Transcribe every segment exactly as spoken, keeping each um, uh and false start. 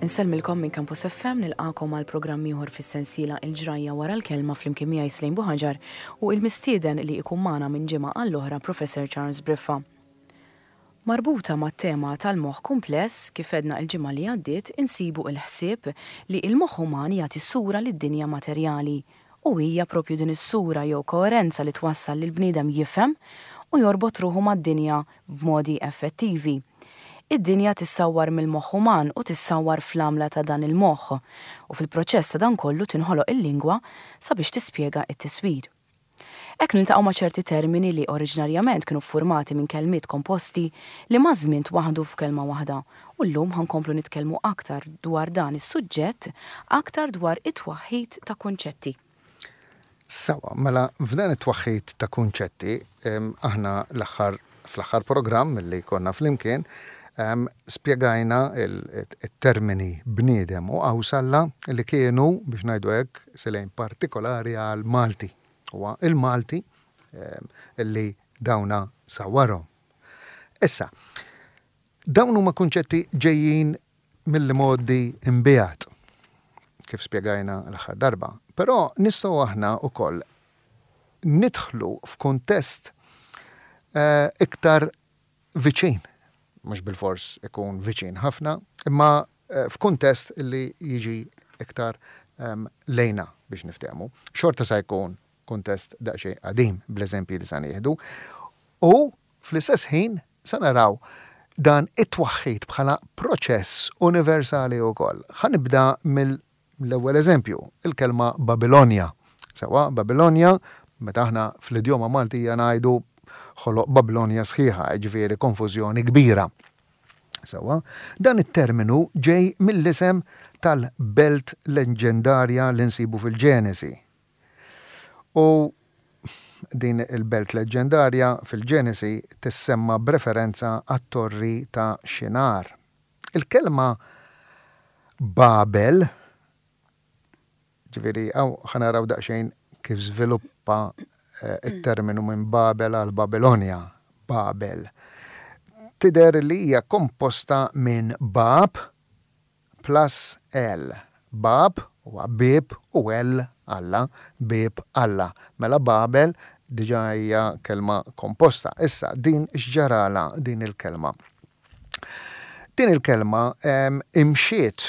Insellmilkom minn Campus F M, nilqagħkom għal programm ieħor fis-sensiela Il-Ġrajja wara l-Kelma, flimkien miegħi Slejn Buħaġar u il-mistieden li ikun magħna minn ġimgħa għall-oħra, Professor Charles Briffa. Marbuta mat-tema tal-moħħ kumpless, kif għedna il-ġimgħa li għaddiet, insibu il-ħsieb li il-moħħ uman jagħti sura lid-dinja materjali u hija propju din is-sura jew koerenza li twassal lil bniedem jifhem u jorbot ruħu mad-dinja b'modi effettivi. Id-dinja tissawwar mill-moħħ uman u tissawwar fl-għamla ta' dan il-moħħ u fil-proċess ta' dan kollu tinħoloq il-lingwa sabiex tispjega it-tiswir. Hekk niltaqgħu ma' ċerti termini li oriġinarjament kienu formati minn kelmiet komposti li maż-żmien twaħdu f'kelma waħda, u llum ħa nkomplu nitkellmu aktar dwar dan is-suġġett, aktar dwar it-twaħħid ta' kunċetti. Sewwa, mela f'dan it-twaħħid ta' kunċetti, aħna l-aħħar fl-aħħar programm li konna flimkien spjegajna il-termini bniedem u qawsalla li kienu, biex ngħidu hekk, selejn partikolari għal Malti. Huwa il-Malti li dawna sawwarhom. Issa, dawn huma kunċetti ġejjin mill-modi imbiegħed, kif spjegajna l-aħħar darba. Però nistgħu aħna wkoll nidħlu f'kuntest eh, iktar viċin, mhux bil-fors ikun viċin ħafna, imma eh, f'kuntest li jiġi iktar um, lejna biex niftehmu. Xorta sa jkun kuntest daqsxejn qadim bl-eżempji li sa nieħdu. U fl-istess ħin sa naraw dan it-twaħħid bħala proċess universali wkoll. Ħa nibda mill-ewwel eżempju, il-kelma Babilonja. Sewwa, Babilonja, meta aħna fl-idjoma Maltija ngħidu ħoloq Babilonja sħiħa, ġifieri konfużjoni kbira. Sewwa, dan it-terminu ġej mill-isem tal-belt leġendarja li nsibu fil-Ġenesi. U din il-belt leġendarja fil-Ġenesi tissemma b'referenza għat-torri ta' Xinar. Il-kelma Babel, ġifieri, hawn ħa naraw daqsxejn kif żviluppa eh, it-terminu minn Babel għal Babilonja, Babel. Tidher li hija komposta minn Bab plus El. Bab huwa bib u El Alla, bib Alla. Mela Babel diġa hija kelma komposta. Issa, din x'ġarala din il-kelma? Din il-kelma em, imxiet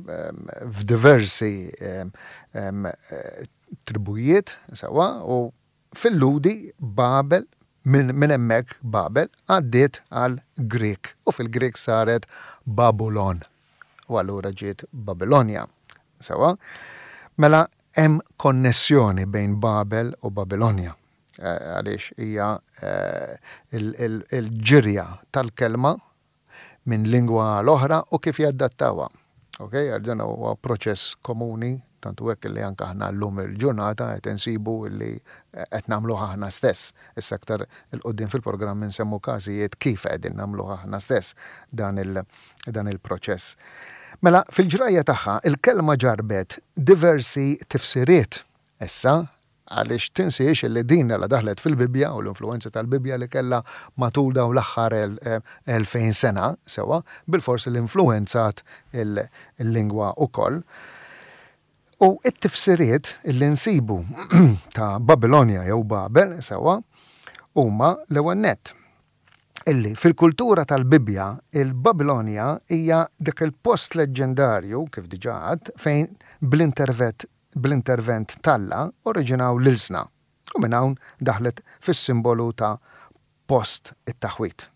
em, f'diversi em, em, eh, tribujiet, sewwa, u fil-Lhudi Babel, minn min hemmhekk Babel għaddiet għal Grek u fil-Grek saret Babulon. U allura ġiet Babilonja. Sewwa, mela hemm konnessjoni bejn Babel u Babilonja. Eh, Għaliex hija eh, il-ġirja tal-kelma minn lingwa l-oħra u kif jaddattawa. Ok, għal dan huwa proċess komuni, tantu hekk li anke aħna llum il-ġurnata qed insibu li qed nagħmluh aħna stess. Issa aktar 'il quddiem fil-programm insemmu każijiet kif qegħdin nagħmluh aħna stess dan il- dan il-proċess. Mela fil-ġrajja tagħha il-kelma ġarbet diversi tifsiriet. Issa, għaliex tinsiex li din la daħlet fil-Bibja u l-influenza tal-Bibja li kella matul dawn l-aħħar elfejn sena, sewwa, bil-forsi l-influenzat il-lingwa ukoll. U it-tifsiriet li nsibu ta' Babilonja jew Babel, sewwa, huma l-ewwel nett illi fil-kultura tal-Bibja il-Babilonja hija dik il-post leġendarju, kif diġà għedt, fejn bl-intervent bl-intervent t'Alla oriġinaw l-ilsna u minn hawn daħlet fis-simbolu ta' post it-taħwit.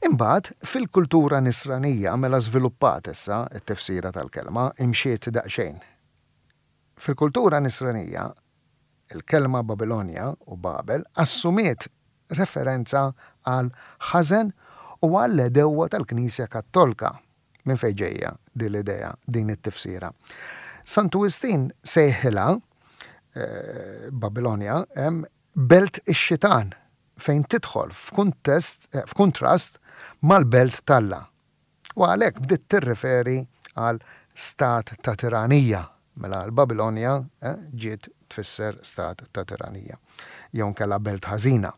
Imbagħad fil-kultura Nisranija, mela żviluppat issa t-tifsira tal-kelma, imxiet daqsxejn. Fil-kultura Nisranija il-kelma Babilonja u Babel assumiet referenza għal ħażen u għall-għedewwa tal-Knisja Kattolka. Minn fejn ġejja din l-idea, din it-tifsira? Santu Wistin sejħilha eh, Babilonja belt ix-xitan, fejn tidħol f'kuntest eh, f'kuntrast mal-belt t'Alla. U għalhekk bdiet tirreferi għal stat ta' tiranija. Mela l-Babilonja eh, ġiet tfisser stat ta' tiranija jew kella belt ħażina.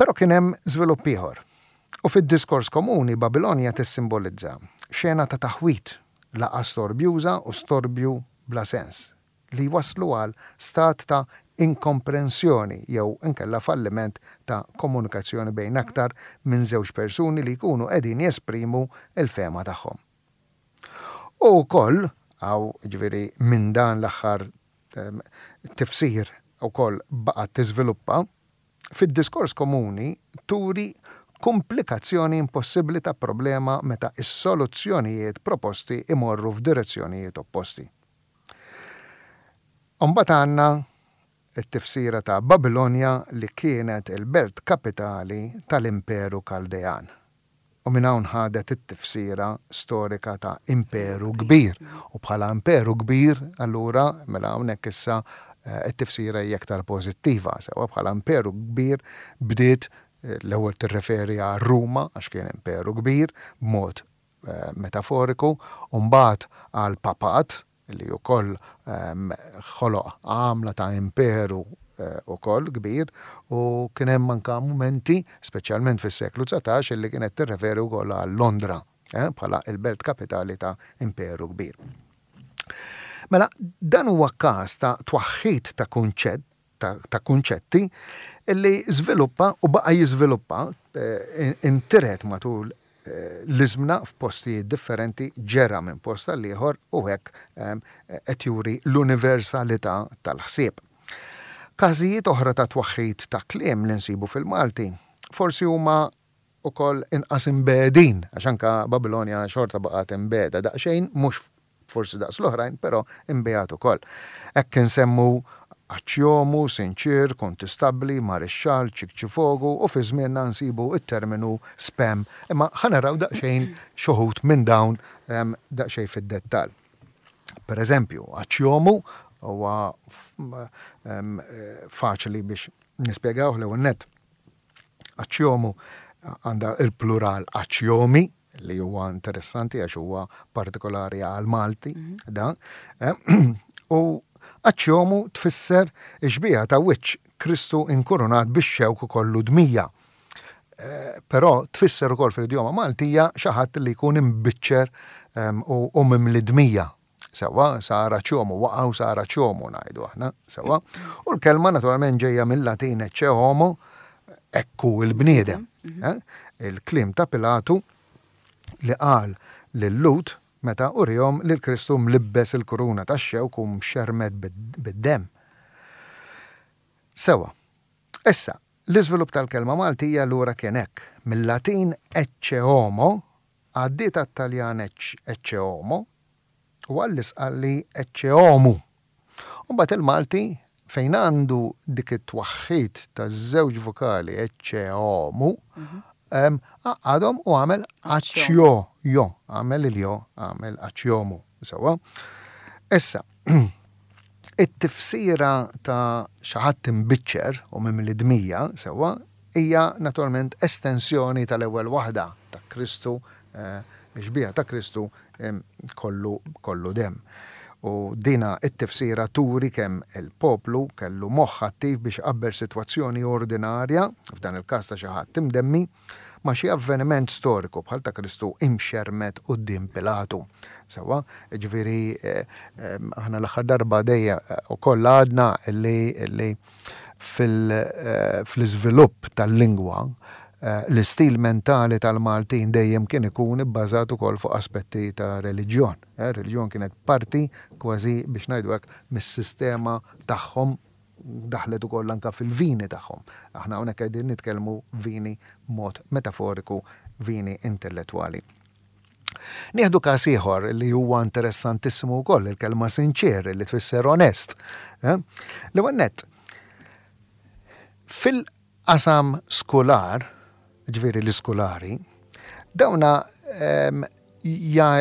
Però kien hemm żvilupp ieħor. U fid-diskors komuni Babilonja tissimbolizza xena ta' taħwit, laqgħa storbjuża u storbju bla sens, li waslu għal stat ta' inkomprensjoni jew inkella falliment ta' komunikazzjoni bejn aktar minn żewġ persuni li jkunu qegħdin jesprimu il-fehma tagħhom. U wkoll, għaw ġifieri minn dan l-aħħar tifsir ukoll baqgħet tiżviluppa, fid-diskors komuni turi komplikazzjoni impossibbli ta' problema meta is-soluzzjonijiet proposti imorru f'direzzjonijiet opposti. Imbagħad għandna it-tifsira ta' Babilonja li kienet il-belt kapitali tal-Imperu Kaldejan. U minn hawn ħadet it-tifsira storika ta' imperu kbir. U bħala imperu kbir, allura, mela hawnhekk issa eh, it-tifsira hija aktar pożittiva, sewa bħala imperu kbir bdiet eh, l-ewwel tirreferi għal Ruma għax kien imperu kbir b'mod eh, metaforiku, u mbagħad għal papat li wkoll ehm, ħoloq għamla ta' imperu eh, ukoll kbir u kien hemm anka mumenti, speċjalment fis-seklu dsatax, li kienet tirreferi wkoll għal Londra eh, bħala il-belt kapitali ta' imperu kbir. Mela, dan huwa każ ta' twaħħid ta' kunċett ta', ta' kunċetti li żviluppa u baqa' jiżviluppa eh, intiret matul eh, l-iżmna f'postijiet differenti, ġera minn post għal ieħor u hekk ehm, qed juri l-universalità tal-ħsieb. Każijiet oħra ta' twaħħid ta' kliem li nsibu fil-Malti forsi huma ukoll inqas imbegħdin, għax anka Babilonja xorta baqgħet imbegħda daqsxejn, mhux forsi daqs l-oħrajn, però imbiegħed ukoll. Hekk insemmu aċċjomu, sinċir, kontistabbli, marixxal, ċikċifogu u fi żmienna nsibu it-terminu spam. Imma ħa naraw daqsxejn xi wħud minn dawn em, daqsxejn fid-dettall. Per eżempju, aċċjomu huwa f- em, eh, faċli biex nispjegaw l-ewwel nett. Aċċjomu għandha il-plural aċċjomi, li huwa interessanti għax huwa partikolari għal Malti dan. Eh, U aċċjomu tfisser ix-xbieha ta' wiċċ Kristu inkurunat bix-xewk kollu dmija. Eh, Però tfisser ukoll fil-idjoma Maltija xi ħadd li jkun imbiċċer em, u u mimli dmija. Sewa, sar aċċjomu, waqgħu sar aċċjomu ngħidu aħna, sewa. U l-kelma naturalment ġejja mill-Latin ecce homo, ekku il-bniedem. Eh? Il-kliem ta' Pilatu li qal lil-Lhud meta urihom lil Kristu mlibbes il-kuruna tax-xewk u mxermed bid-dem. Sewa, issa, l-iżvilupp tal-kelma Maltija lura kien hekk. Mill-Latin ecce homo għaddiet għat-Taljan ecce homo u għall-Isqalli ecce omu. U mbagħad il-Malti fejn għandu dik it-twaħħid ta' żewġ vokali ecce homu, għadhom u għamel aċċjo, jo, għamel il-jo, għamel aċċjomu. Sewa. Issa, it-tifsira ta' xi ħadd imbiċċer u mimli dmija, sewa, hija naturalment estensjoni tal-ewwel waħda ta' Kristu, eh, xbieha ta' Kristu kollu, kollu dem. U dina it-tifsira turi kemm il-poplu kellu moħħ attiv biex qabel sitwazzjoni ordinarja, f'dan il-każ ta' xi ħadd imdemmi, ma' xi avveniment storiku bħal ta' Kristu imxermed quddiem Pilatu. Sewa, ġifieri eh, aħna l-aħħar darba dejja ukoll għadna li, li fil-iżvilupp tal-lingwa eh, l-istil mentali tal-Maltin dejjem kien ikun ibbażat ukoll fuq aspetti ta' reliġjon. Eh, reliġjon kienet parti kważi biex ngħidu hekk mis-sistema tagħhom, daħlet ukoll anka fil-vini tagħhom. Aħna hawnhekk qegħdin nitkellmu vini mod metaforiku, vini intellettwali. Nieħdu każ ieħor li huwa interessantissimu wkoll, il-kelma sinċer li tfisser onest. Eh? L-ewwel nett, fil-qasam skolar, ġifieri l-iskolari, dawna em, ja,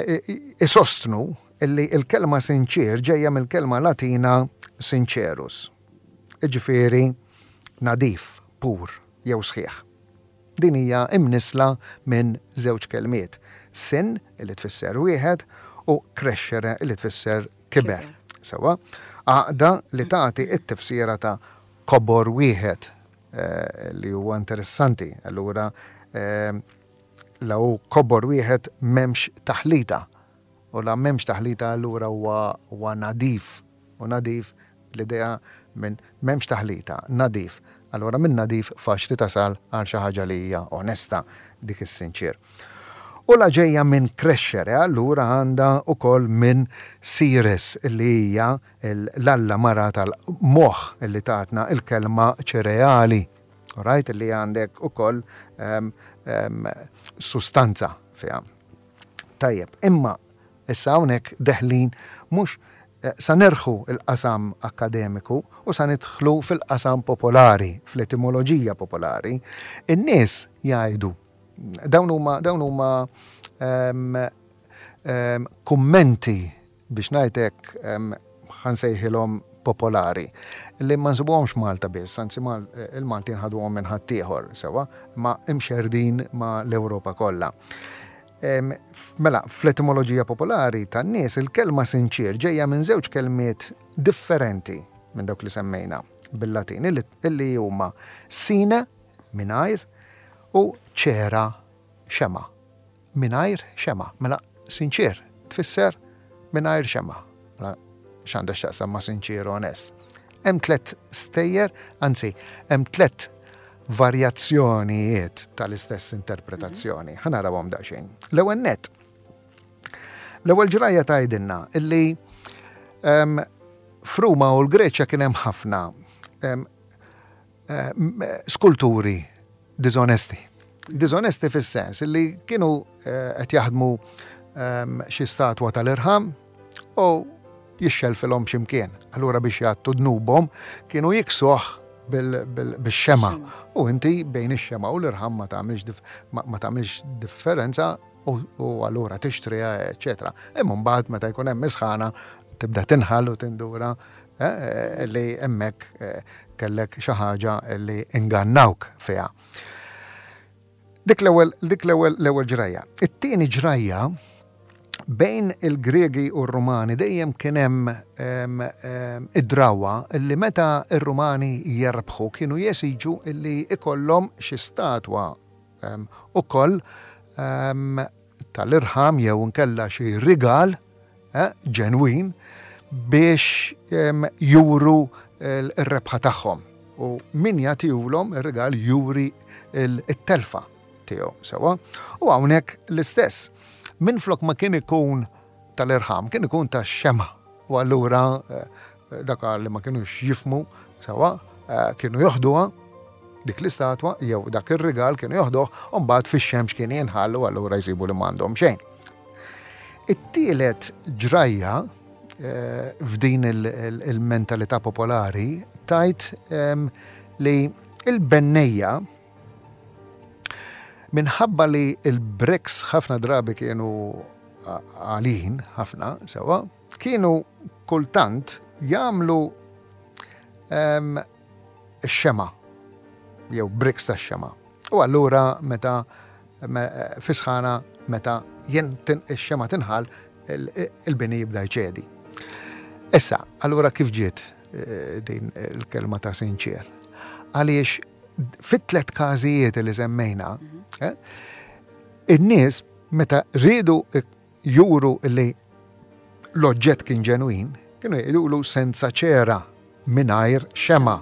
isostnu illi il-kelma sinċer ġejja mill-kelma Latina sincerus. Ġifieri nadif, pur, jew sħiħ. Din hija imnisla minn żewġ kelmiet. Sin, li tfisser wieħed, u crescere, li tfisser kiber. Sewa, għaqda li tagħti it-tifsira ta' kobor wieħed eh, li huwa interessanti. Allura eh, La hu kobor wieħed, m'hemmx taħlita. U la m'hemmx taħlita, allura huwa nadif. U nadif, l-idea minn m'hemmx taħlita, nadif. Allura minn nadif faċli tasal għal xi ħaġa li hija onesta, dik is-sinċir. U la ġejja minn crescere, allura għandha ukoll minn Ceres, li hija l-alla mara tal-moħ li tatna il-kelma ċereali. Right, li għandek ukoll um, um, sustanza fiha. Tajjeb, imma issa hawnhekk deħlin mhux eh, sa nerħu il-qasam akademiku u sa nidħlu fil-qasam popolari, fl-etimoloġija popolari. In-nies jgħidu, dawn huma dawn huma um, um, kummenti, biex ngħidlek, um, ħa nsejħilhom popolari, li ma nsibuhomx Malta biss, anzi il-Maltin ħaduhom minn ħaddieħor sewwa, ma imxerdin ma l-Ewropa kollha. Mela, fl-etimoloġija popolari tan-nies, il-kelma sinċir ġejja minn żewġ kelmiet differenti minn dawk li semmejna bil-Latin, illi huma sine, mingħajr, u ċera, xema. Mingħajr xema. Mela, sinċir tfisser mingħajr xema. Mela, x'għandha x'taqsam ma' sinċir, onest? Hemm tliet stejjer, anzi, hemm tliet varjazzjonijiet tal-istess interpretazzjoni. Ħa narawhom daqsxejn. L-ewwel net. L-ewwel ġrajja tgħidilna illi um, f'Ruma u l-Greċja kien hemm ħafna um, um, skulturi diżonesti. Diżonesti fis-sens illi kienu eh, qed jaħdmu um, xi statwa tal-irħam u jixxelfilhom x'imkien. Allura biex jgħattu dnubhom kienu jiksuh bil-xema. U inti bejn ix-xema u l-irħam ma tagħmilx ma tagħmilx differenza u allura tixtriha, eċetera. Imma mbagħad meta jkun hemm isħana tibda tinħall u tindura eh, li hemmhekk eh, kellek xi ħaġa li ingannawk fiha. Dik l-ewwel dik l-ewwel l-ewwel ġrajja. It-tieni ġrajja, bejn il-Gregi u r-Rumani dejjem kien hemm id-drawa li meta r-Rumani jerbħu kienu jesiġu illi ikollhom xi statwa ukoll tal-irħam jew nkella xi rigal eh, ġenwin biex juru l-rebħa tagħhom. U min jagħtihulhom ir-rigal juri il-telfa tiegħu sewwa. U hawnhekk l-istess. Minflok ma kien ikun tal-irħam, kien ikun tax-xema. U allura eh, dak li ma kienux jifhmu sewwa, eh, kienu joħduha dik l-istatwa jew dak ir-rigal, kienu joħduh u mbagħad fix-xemx kien jinħallu, allura jsibu li m'għandhom xejn. It-tielet ġrajja eh, f'din il-mentalità popolari tajt li il-bennejja, minħabba li il-bricks ħafna drabi kienu għalin ħafna, sewwa, kienu kultant jagħmlu xema jew bricks ta' xema. U allura meta fisħana, meta jen ix-xema tinħal, il-bini jibda jċedi. Issa, allura kif ġiet eh, din il-kelma ta' sinċir? Għaliex fit-tlet każijiet li semmejna, eh, in-nies meta riedu juru li l-oġġett kien ġenwin, kienu jgħidulu senza ċera, mingħajr xema.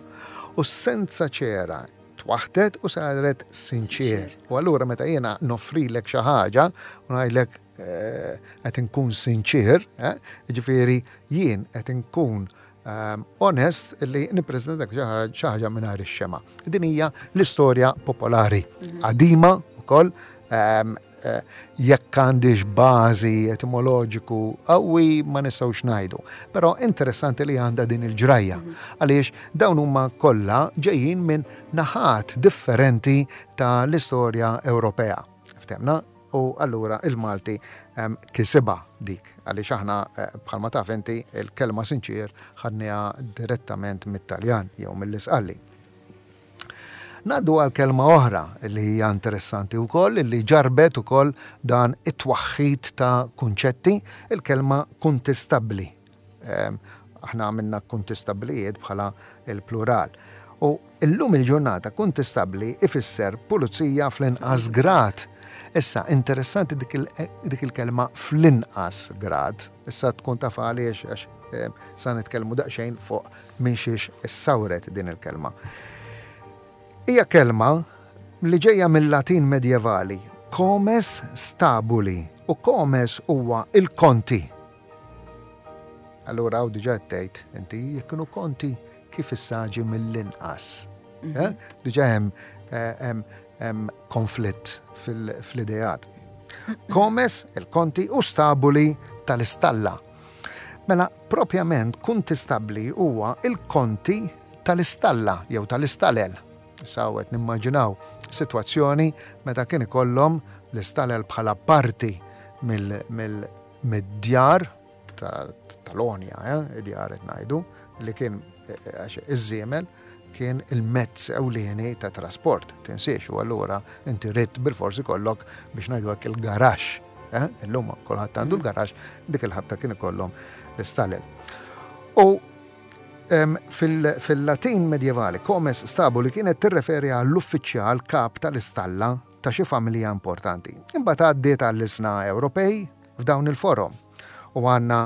U senza ċera twaħtet u saret sinċir. U allura meta jiena noffrilek xi ħaġa u ngħidlek eh, qed inkun sinċir, eh, ġifieri jien qed inkun um, onest li nippreżentak xi ħaġa mingħajr ix-xema. Din hija l-istorja popolari qadima wkoll. um, eh, jekk għandix bażi etimoloġiku qawwi ma nistgħux ngħidu. Però interessanti li għandha din il-ġrajja, għaliex dawn huma kollha ġejjin minn naħat differenti ta' l-istorja Ewropea. Ftemna? U allura il-Malti um, kisibha dik, għaliex aħna eh, bħalma taf inti, il-kelma sinċir ħadniha direttament mit-Taljan jew mill-Isqalli. Ngħaddu għal kelma oħra li hija interessanti wkoll, li ġarbet ukoll dan it-twaħħid ta' kunċetti, il-kelma kontestabbli. Ehm, aħna għamilna kontestablijiet bħala il-plural. U illum il-ġurnata kontestabbli ifisser pulizija fl-inqas grad. Issa, interessanti dik il-kelma fl-inqas grad. Issa tkun taf għaliex għax eh, sa nitkellmu daqsxejn fuq minn xiex issawret din il-kelma. Hija kelma li ġejja mill-Latin medjevali, comes stabuli, u comes huwa il-konti. Allura hawn diġà tgħid inti jekk kienu konti kif issa ġie mill-inqas. Eh? Diġà hemm eh, hemm konflitt fl-ideat. Comes, il-konti, u stabuli tal-istalla. Mela, propjament kuntistabbli huwa il-konti tal-istalla jew tal-istalel. Issa qed nimmaġinaw sitwazzjoni meta kien ikollhom l-istalel bħala parti mill-djar tal-għonja, eh, id-djar qed ngħidu, li kien eh, għax iż-żiemel kien il-mezz ewlieni ta' trasport, tinsiex, u allura inti ridt bilfors ikollok biex ngħidu hekk il-garaxx. Eh? Illum kulħadd għandu l-garaxx, dik il-ħabta kien ikollhom l-istalel. U fil-Latin medjevali, comes stabuli kienet tirreferi għall-uffiċjal kap tal-istalla ta' xi familja importanti. Imbagħad għaddiet għall-ilsna Ewropej f'dawn il-forom. U għandna,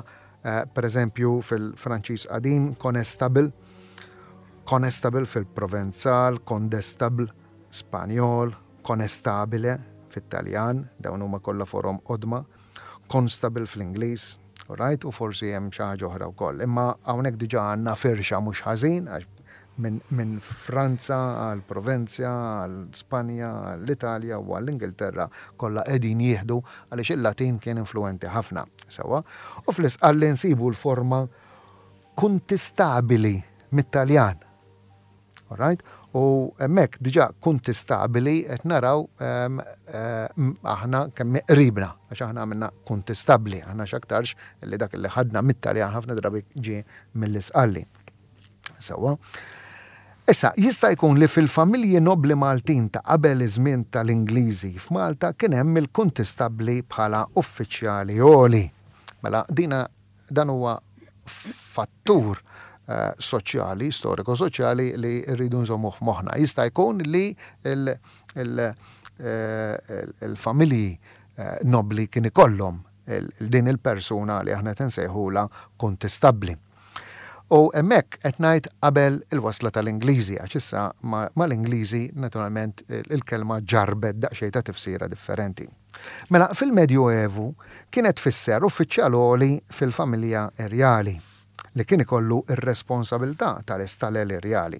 eh, per eżempju, fil-Franċiż qadim, conestable, conestable fil-Provenzal, condestable, Spanjol, conestabile fit-Taljan, dawn huma kollha forom qodma, constable fl-Ingliż, right? U forsi hemm xi ħaġa oħra wkoll. Imma hawnhekk diġà għandna firxa mhux ħażin għax minn min Franza għal Provenzja, għal Spanja, għall-Italja u għall-Ingilterra kollha qegħdin jieħdu għaliex il-Latin kien influenti ħafna. Sewwa. U fl-Isqalli nsibu l-forma kuntistabili mit-Taljan. Alright? U hemmhekk diġà kuntistabili qed naraw um, um, aħna kemm qribna, għax aħna għamilna kuntistabbli, aħna x'aktarx li dak li ħadna mit-Taljan ħafna drabi ġie mill-Isqalli. Sewwa. Issa, jista' jkun li fil-familji nobli Maltin ta' qabel iż-żmien tal-Ingliżi f'Malta kien hemm il-kuntistabbli bħala uffiċjali għoli. Mela dina dan huwa fattur eh, soċjali, storiku-soċjali li rridu nżommu f'moħħna. Jista' jkun li il- il- eh, il-familji eh, nobli kien ikollhom il- din il-persuna li aħna nsejħula kuntistabbli. U hemmhekk qed ngħid qabel il-wasla tal-Ingliżi, għax issa mal-Ingliżi naturalment il-kelma ġarbet daqsxejn ta' tifsira differenti. Mela fil-Medjuevu kienet tfisser uffiċjal għoli fil-familja irjali li kien ikollu ir-responsabilità tal-istalel irjali.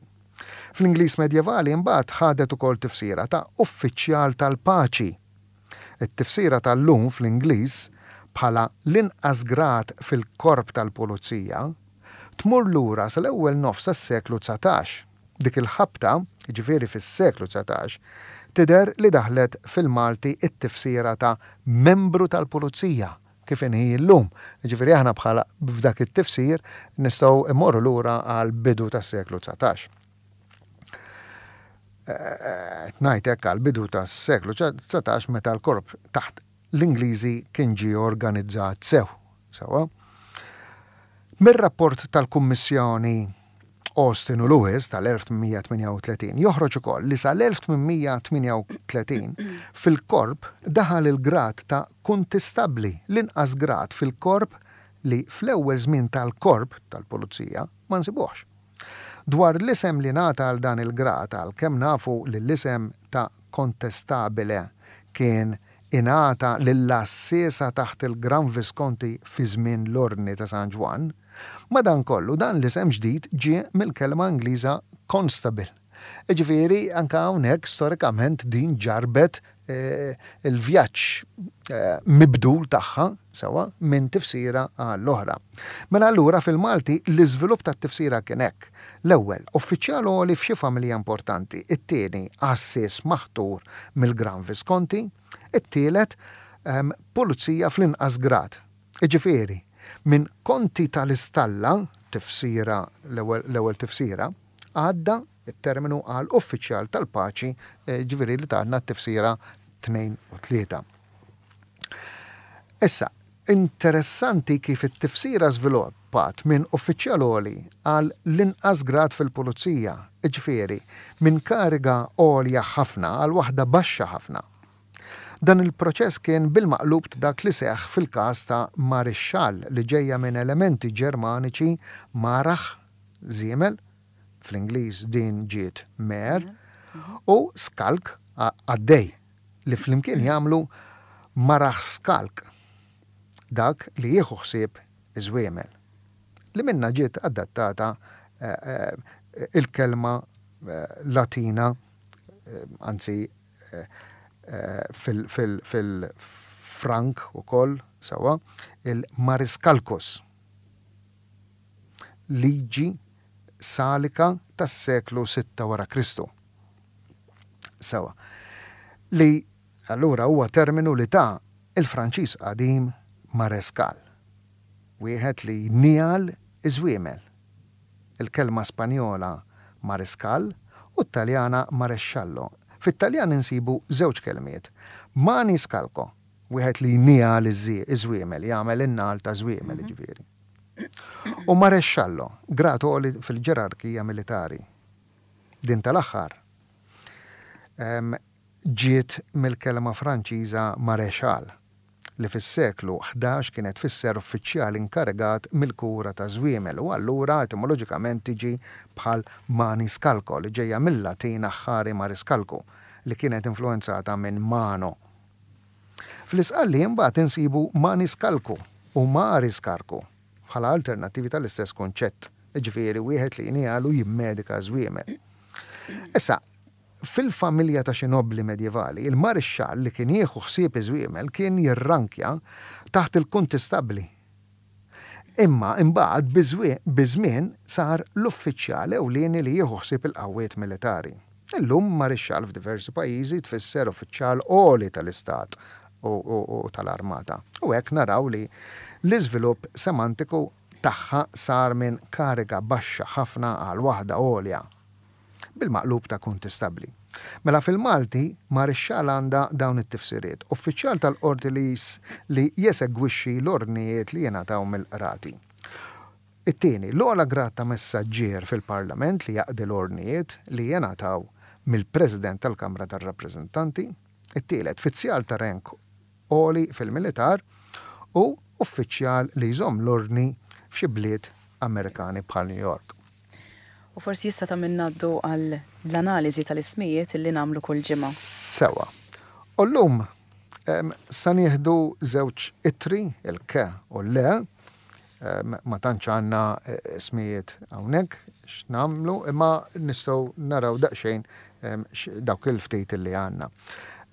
Fl-Ingliż medjevali imbagħad ħadet ukoll tifsira ta' uffiċjal tal-paċi. It-tifsira tal-lum fl-Ingliż bħala l-inqas grad fil-korp tal-pulizija tmur lura sal-ewwel nofs tas-seklu dsatax. Dik il-ħabta, ġifieri fis-seklu dsatax, tidher li daħlet fil-Malti it-tifsira ta' membru tal-pulizija kif inhi llum. Ġifieri aħna bħala f'dak it-tifsir nistgħu immorru lura għal bidu tas-seklu dsatax. Ngħid hekk għal bidu tas-seklu dsatax meta l-korp taħt l-Ingliżi kien ġie organizzat sew. Sewwa. Mir-rapport tal-Kummissjoni Austin u Lewis tal-elf tmien mija tmienja u tletin joħroġ ukoll li sal-elf tmien mija tmienja u tletin fil-korp daħal il-grad ta' kuntistabbli, l-inqas grad fil-korp li fl-ewwel żmien tal-korp tal-pulizija ma nsibuhx. Dwar l-isem li ngħata għal dan il-grad, għal kemm nafu li l-isem ta' contestabile kien ingħata lill-għassiesa taħt il-Gran Visconti fi żmien l-Ordni ta' San Ġwann, madankollu dan l-isem ġdid ġie mill-kelma Ingliża constable. Ġifieri anka hawnhekk storikament din ġarbet eh, il-vjaġġ eh, mibdul tagħha sewwa minn tifsira għall-oħra. Mela allura fil-Malti l-iżvilupp tat-tifsira kien hekk. L-ewwel, uffiċjal għoli f'xi familja importanti, it-tieni għassies maħtur mill-Gran Visconti, it-tielet ehm, pulizija fl-inqas grad. Ġifieri, minn konti tal-istalla, tifsira l-ewwel tifsira, għadda it-terminu għal uffiċjal tal-paċi, eh, ġifieri li tatna t-tifsira tnejn u tlieta. Issa, interessanti kif it-tifsira żviluppat minn uffiċjal għoli għal l-inqas grad fil-pulizija, ġifieri minn kariga għolja ħafna għal waħda baxxa ħafna. Dan il-proċess kien bil-maqlub ta' dak li seħħ fil-każ ta' marixxall li ġejja minn elementi Ġermaniċi marach, żiemel, fl-Ingliż din ġiet mare, u skalk, qaddej, li flimkien jagħmlu maraħskalk, dak li jieħu ħsieb iż-żwiemel. Li minna ġiet adattata il-kelma Latina, anzi fil-Frank ukoll sewwa, il-mariscalcus, liġi salika tas-seklu sitta wara Kristu. Sewwa. Li allura huwa terminu li ta' il-Franċiż qadim marescal, wieħed li jniegħel iż-żwiemel. Il-kelma Spanjola mariscal u t-Taljana maresciallo. Fit-Taljan insibu żewġ kelmiet. Maniscalco, wieħed li jniegħel iż-żwiemel, jagħmel in-nagħal ta' żwiemel jiġifieri. U maresciallo, grad għoli fil-ġerarkija militari. Din tal-aħħar ġiet mill-kelma Franċiża maréchal, li fis-seklu ħdax kienet tfisser uffiċjal inkarigat mill-kura ta' żwiemel u allura etimoloġikament tiġi bħal maniscalco li ġejja mill-Latin aħħari mariscalco li kienet influenzata minn mano. Fl-Isqalli imbagħad insibu maniscalco u mariscarco bħala alternattivi tal-istess kunċett, jiġifieri wieħed li jniegħel u jimmedika żwiemel. Issa, fil-familja ta' xi nobbli medjevali, il-marixxall li kien jieħu ħsieb iż-żwiemel kien jirrankja taħt il-kuntistabbli. Imma imbagħad biż-żmien sar l-uffiċjal ewlieni li jieħu ħsieb il-qawwiet militari. Illum marixxall f'diversi pajjiżi tfisser uffiċjal għoli tal-istat u tal-armata. U hekk naraw li l-iżvilupp semantiku tagħha sar minn kariga baxxa ħafna għal waħda għolja, bil-maqlub ta' kuntistabbli. Mela fil-Malti marixxall għandha dawn it-tifsiriet, uffiċjal tal-qorti li li jesegwixxi l-ordnijiet li jingħataw mill-qrati. It-tieni, l-ogħla grad ta' messaġġier fil-Parlament li jaqdi l-ordnijiet li jingħataw mill-President tal-Kamra tar-Rappreżentanti. It-tielet, fizzjal ta' rank għoli fil-militar u uffiċjal li jżomm l-ordni f'xi bliet Amerikani bħal New York. U forsi jista' ta' minn ngħaddu għal l-analiżi tal-ismijiet li nagħmlu kull ġimgħa. Sewa. U llum sa nieħdu żewġ ittri, il-ke u l-le, ma tantx għandna ismijiet hawnhekk x'nagħmlu, imma nistgħu naraw daqsxejn dawk il-ftit li għandna.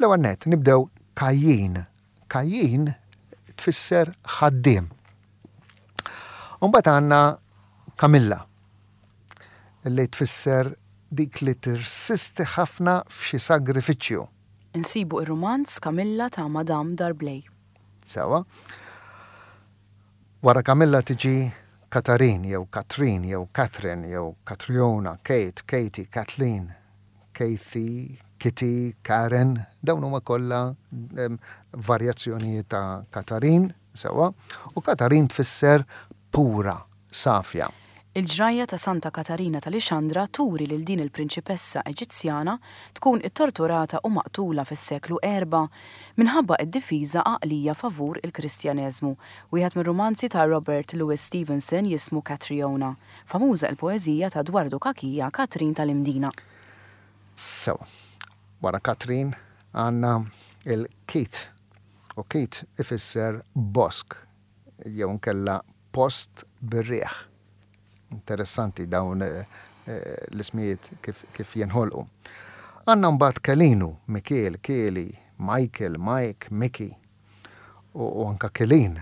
L-ewwel nett nibdew Kajjin. Kajjin tfisser ħaddiem. U mbagħad għandna Kamilla, li tfisser dik li tirsisti ħafna f'xi sagrifiċċju. Insibu ir-romanz Kamilla ta' Madame D'Arblay. Sewa. Wara Kamilla tiġi Katarin jew Katrin jew Catherine jew Katriona, Kate, Katie, Kathleen, Kathy, Kitty, Karen, dawn huma kollha varjazzjonijiet ta' Katarin, sewa, u Katarin tfisser pura, safja. Il-ġrajja ta' Santa Katarina tal-Ixandra turi lil din il-prinċipessa Eġizzjana tkun ittorturata u maqtula fis-seklu erba' minħabba id-difiża għaqlija favur il-Kristjaneżmu. Wieħed mir-romanzi ta' Robert Louis Stevenson jismu Catriona, famuża il-poeżija ta' Dwardu Kakija Katrin tal-Imdina. Sewa, wara Katrin għandna il-Kit, u Kit ifisser bosk, jew nkella post bir-riħ. Interessanti dawn l-ismijiet kif, kif jenħolqu. Għandna mbagħad Kelinu, Mikiel, Kieli, Michael, Mike, Mickey u, u anka Kelin.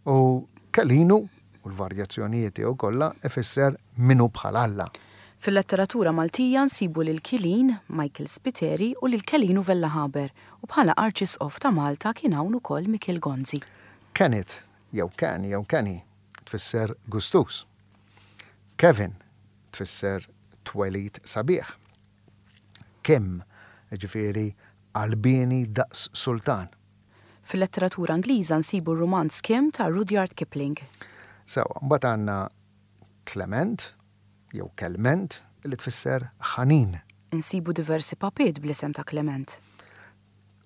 U Kelinu u l-varjazzjonijiet tiegħu kollha ifisser minu bħal Alla. Fil-letteratura Maltija nsibu lil Kilin, Michael Spiteri u lil Kelinu Vella Haber, u bħala Arċisqof ta' Malta kien hawn ukoll Mikiel Gonzi. Kenneth jew Ken jew Kenny tfisser gustus. Kevin tfisser twelid sabiħ. Kim, ġifieri qalbieni daqs sultan. Fil-letteratura Ingliża nsibu r-romanz Kim ta' Rudyard Kipling. Sewa, mbagħad għandna Clement jew Kelment li tfisser ħanin. Insibu diversi papiet bl-isem ta' Clement.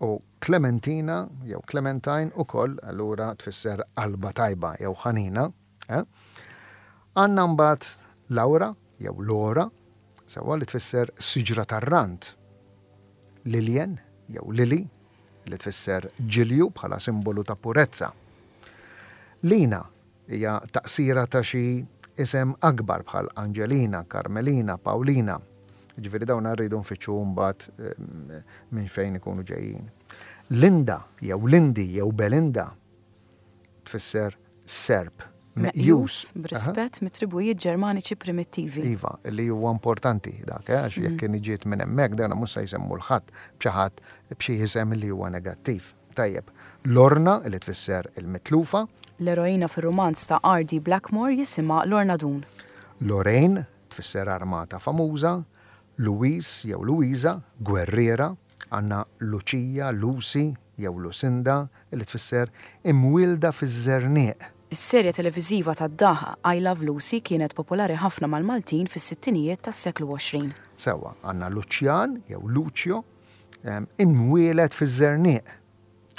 U Clementina jew Clementine ukoll allura tfisser qalba tajba jew ħanina. Eh? Għandna mbagħad Laura jew Lora, sewwa, li tfisser siġra tar-rand. Lilien jew Lili, li tfisser ġilju bħala simbolu ta' purezza. Lina hija taqsira ta' xi isem akbar bħal Angelina, Carmelina, Paulina. Ġifieri dawn rridu nfittxu mbagħad eh, minn fejn ikunu ġejjin. Linda jew Lindi jew Belinda tfisser serp meqjus b'rispett mit-tribujiet Ġermaniċi primittivi. Iva, li huwa importanti dak, eh, għax jekk kien ġiet minn hemmhekk, dan mhux se jsemmu 'l ħadd b'xi ħadd b'xi isem li huwa negattiv. Tajjeb, Lorna, li tfisser il-mitlufa. L-eroina fir-romanz ta' R D. Blackmore jisimha Lorna Doone. Lorraine tfisser armata famuża, Louise jew Luisa, gwerriera, għandna Lucia, Lucy jew Lucinda, li tfisser imwielda fiż-żerniq. Is-serje televiżiva tad-daħ I Love Lucy kienet popolari ħafna mal-Maltin fis-sittinijiet tas-seklu għoxrin. Sewwa, għandna Lucian jew Lucio, em, imwieled fiż-żerniq.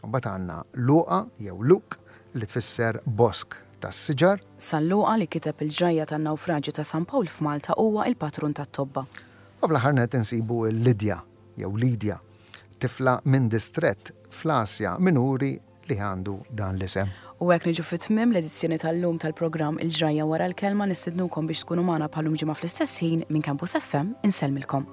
U mbagħad għandna Luqa jew Luk, li tfisser bosk tas-siġar. San Luqa, li kiteb il-ġrajja tan-nawfraġju ta' San Pawl f'Malta, huwa il-patrun tat-tobba. U fl-aħħar net insibu Lidja jew Lidja, tifla minn distrett fl-Asja Minuri li għandu dan l-isem. U hekk niġu fit-tmiem l-edizzjoni tal-lum tal-programm Il-Ġrajja Wara l-Kelma. Nistednukom biex tkunu magħna bħal-lum ġimgħa fl-istess ħin. Minn Campus F M insellmilkom.